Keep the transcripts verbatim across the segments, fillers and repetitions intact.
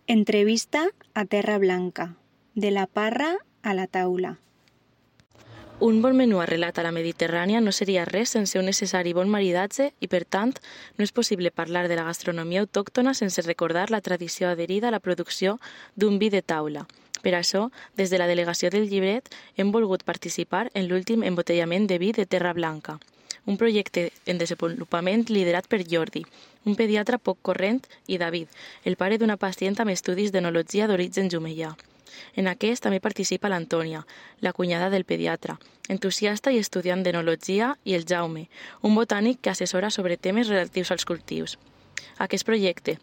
Entrevista a Terra Blanca, de la parra a la taula. Un bon menú arrelat a la Mediterrània no seria res sense un necessari bon maridatge i, per tant, no és possible parlar de la gastronomia autòctona sense recordar la tradició adherida a la producció d'un vi de taula. Per això, des de la delegació del Llibret, hem volgut participar en l'últim embotellament de vi de Terra Blanca, un projecte en desenvolupament liderat per Jordi, un pediatre poc corrent, i David, el pare d'una pacient amb estudis d'enologia d'origen jumellà. En aquest també participa l'Antònia, la cunyada del pediatre, entusiasta i estudiant d'enologia, i el Jaume, un botànic que assessora sobre temes relatius als cultius. Aquest projecte,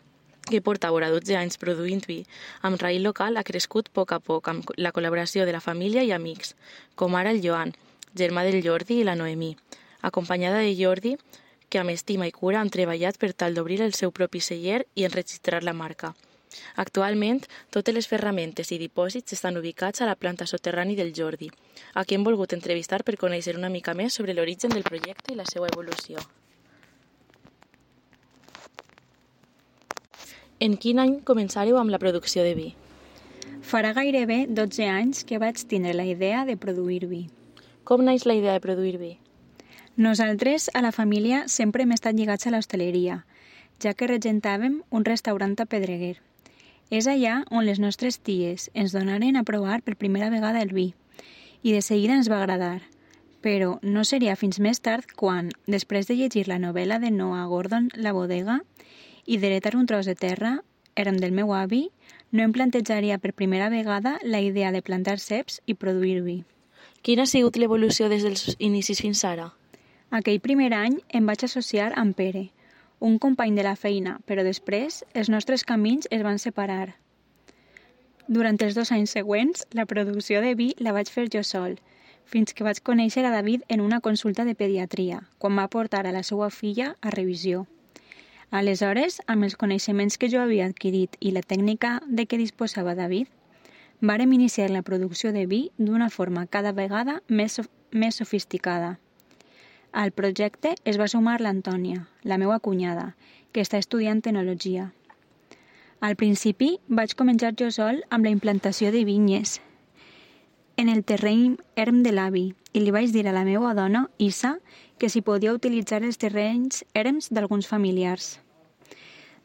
que porta vora dotze anys produint vi, amb raïl local ha crescut a poc a poc amb la col·laboració de la família i amics, com ara el Joan, germà del Jordi, i la Noemí, acompanyada de Jordi, que amb estima i cura han treballat per tal d'obrir el seu propi celler i enregistrar la marca. Actualment, totes les ferramentes i dipòsits estan ubicats a la planta soterrani del Jordi, a qui hem volgut entrevistar per conèixer una mica més sobre l'origen del projecte i la seva evolució. En quin any començàreu amb la producció de vi? Farà gairebé dotze anys que vaig tindre la idea de produir vi. Com naix la idea de produir vi? Nosaltres, a la família, sempre hem estat lligats a l'hostaleria, ja que regentàvem un restaurant a Pedreguer. És allà on les nostres ties ens donaren a provar per primera vegada el vi, i de seguida ens va agradar. Però no seria fins més tard quan, després de llegir la novel·la de Noah Gordon, La bodega, i d'heretar un tros de terra, érem del meu avi, no em plantejaria per primera vegada la idea de plantar ceps i produir vi. Quina ha sigut l'evolució des dels inicis fins ara? Aquell primer any em vaig associar amb Pere, un company de la feina, però després els nostres camins es van separar. Durant els dos anys següents, la producció de vi la vaig fer jo sol, fins que vaig conèixer a David en una consulta de pediatria, quan va portar a la seva filla a revisió. Aleshores, amb els coneixements que jo havia adquirit i la tècnica de què disposava David, vàrem iniciar la producció de vi d'una forma cada vegada més, sof- més sofisticada. Al projecte es va sumar l'Antònia, la meva cunyada, que està estudiant enologia. Al principi vaig començar jo sol amb la implantació de vinyes en el terreny erm de l'avi i li vaig dir a la meva dona, Isa, que s'hi podia utilitzar els terrenys erms d'alguns familiars.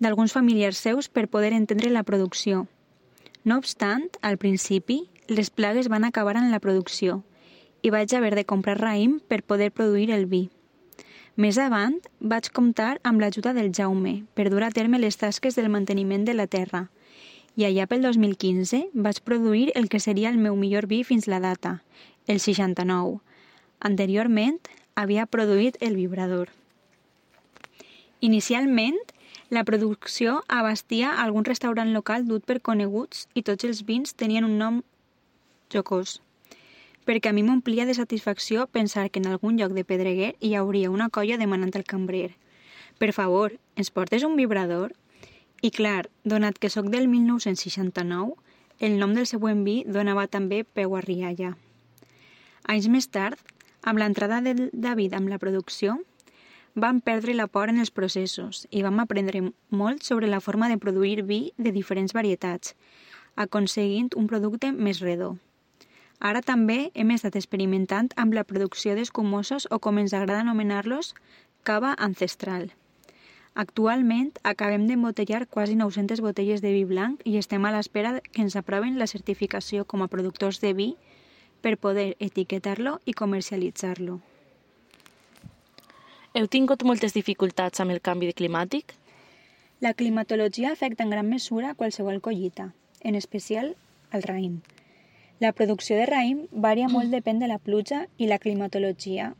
d'alguns familiars seus per poder entendre la producció. No obstant, al principi, les plagues van acabar en la producció i vaig haver de comprar raïm per poder produir el vi. Més avant, vaig comptar amb l'ajuda del Jaume per dur a terme les tasques del manteniment de la terra i allà pel dos mil quinze vaig produir el que seria el meu millor vi fins la data, el seixanta-nou. Anteriorment, havia produït el vibrador. Inicialment, la producció abastia algun restaurant local dut per coneguts i tots els vins tenien un nom jocós, perquè a mi m'omplia de satisfacció pensar que en algun lloc de Pedreguer hi hauria una colla demanant al cambrer: «Per favor, ens portes un vibrador?» I clar, donat que sóc del mil nou-cents seixanta-nou, el nom del següent vi donava també peu a rialla. Anys més tard, amb l'entrada del David amb la producció, vam perdre la por en els processos i vam aprendre molt sobre la forma de produir vi de diferents varietats, aconseguint un producte més redó. Ara també hem estat experimentant amb la producció d'escumosos o, com ens agrada anomenar-los, cava ancestral. Actualment acabem d'embotellar quasi nou-centes botelles de vi blanc i estem a l'espera que ens aproven la certificació com a productors de vi per poder etiquetar-lo i comercialitzar-lo. Heu tingut moltes dificultats amb el canvi climàtic? La climatologia afecta en gran mesura qualsevol collita, en especial el raïm. La producció de raïm varia molt depèn de la pluja i la climatologia,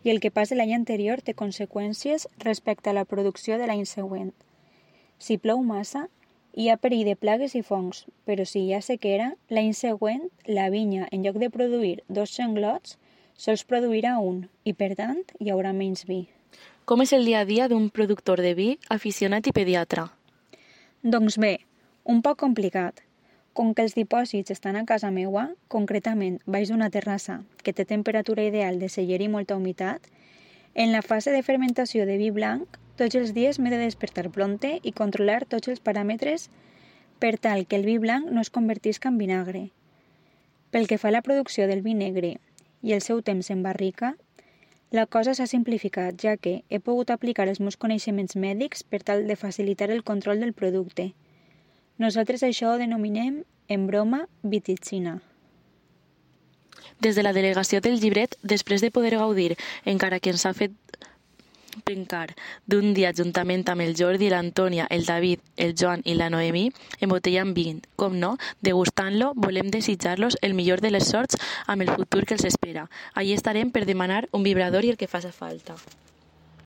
i el que passa l'any anterior té conseqüències respecte a la producció de l'any següent. Si plou massa, hi ha perill de plagues i fongs, però si hi ha sequera, l'any següent la vinya, en lloc de produir dos xanglots, sols produirà un, i per tant hi haurà menys vi. Com és el dia a dia d'un productor de vi aficionat i pediatre? Doncs bé, un poc complicat. Com que els dipòsits estan a casa meua, concretament baix d'una terrassa que té temperatura ideal de celler i molta humitat, en la fase de fermentació de vi blanc, tots els dies m'he de despertar prompte i controlar tots els paràmetres per tal que el vi blanc no es convertisca en vinagre. Pel que fa a la producció del vi negre i el seu temps en barrica, la cosa s'ha simplificat, ja que he pogut aplicar els meus coneixements mèdics per tal de facilitar el control del producte. Nosaltres això ho denominem, en broma, viticina. Des de la delegació del llibret, després de poder gaudir, encara que ens ha fet pencar, d'un dia juntament amb el Jordi, l'Antònia, el David, el Joan i la Noemí, embotellant vi, com no, degustant-lo, volem desitjar-los el millor de les sorts amb el futur que els espera. Allí estarem per demanar un vibrador i el que faci falta.